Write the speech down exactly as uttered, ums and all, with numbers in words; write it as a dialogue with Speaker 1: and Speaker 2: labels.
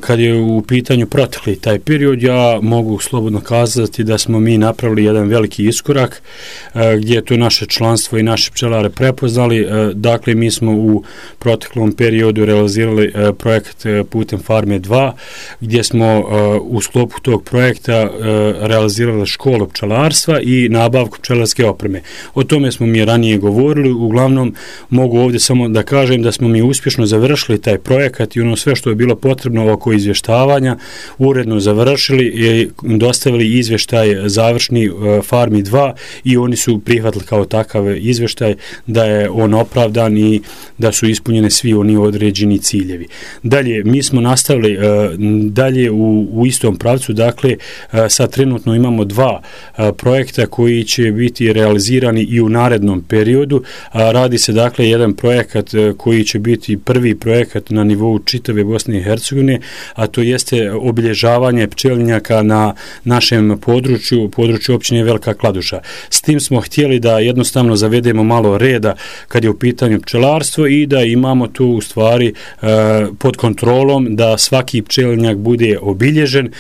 Speaker 1: kad je u pitanju protekli taj period, ja mogu slobodno kazati da smo mi napravili jedan veliki iskorak gdje je to naše članstvo i naše pčelare prepoznali. Dakle, mi smo u proteklom periodu realizirali projekt putem Farme dva, gdje smo u sklopu tog projekta realizirali školu pčelarstva i nabavku pčelarske opreme. O tome smo mi ranije govorili. Uglavnom, mogu ovdje samo da kažem da smo mi uspješno završili taj projekat i ono sve što je bilo potrebno oko izvještavanja uredno završili i dostavili izvještaj završni Farmi dva i oni su prihvatili kao takav izvještaj da je on opravdan i da su ispunjene svi oni određeni ciljevi. Dalje, mi smo nastavili dalje u, u istom pravcu, dakle sad trenutno imamo dva projekta koji će biti realizirani i u narednom periodu. Radi se dakle jedan projekat koji će biti prvi projekat na nivou čitave Bosne i Hercegovine, a to jeste obilježavanje pčelinjaka na našem području, području općine Velika Kladuša. S tim smo htjeli da jednostavno zavedemo malo reda kad je u pitanju pčelarstvo i da imamo tu u stvari pod kontrolom da svaki pčelinjak bude obilježen.